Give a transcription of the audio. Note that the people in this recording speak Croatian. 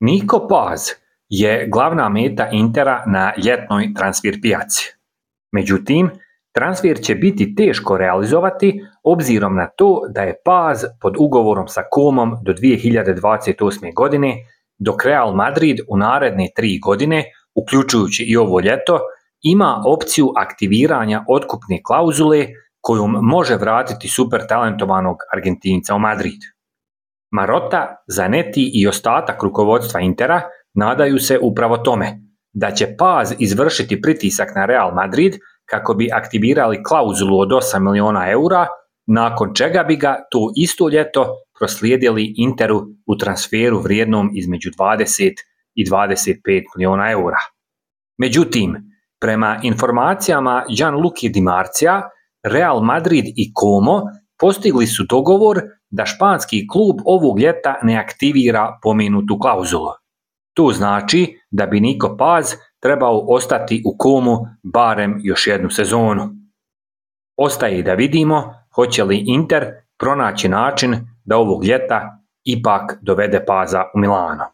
Niko Paz je glavna meta Intera na ljetnoj transfer pijaci. Međutim, transfer će biti teško realizovati obzirom na to da je Paz pod ugovorom sa Comom do 2028. godine, dok Real Madrid u naredne 3 godine, uključujući i ovo ljeto, ima opciju aktiviranja otkupne klauzule kojom može vratiti super talentovanog Argentinca u Madrid. Marotta, Zanetti i ostatak rukovodstva Intera nadaju se upravo tome, da će Paz izvršiti pritisak na Real Madrid kako bi aktivirali klauzulu od 8 milijuna eura, nakon čega bi ga to isto ljeto proslijedili Interu u transferu vrijednom između 20 i 25 milijuna eura. Međutim, prema informacijama Gianluigi Di Marzia, Real Madrid i Como postigli su dogovor da španski klub ovog ljeta ne aktivira pomenutu klauzulu. To znači da bi Niko Paz trebao ostati u Comu barem još jednu sezonu. Ostaje da vidimo hoće li Inter pronaći način da ovog ljeta ipak dovede Paza u Milano.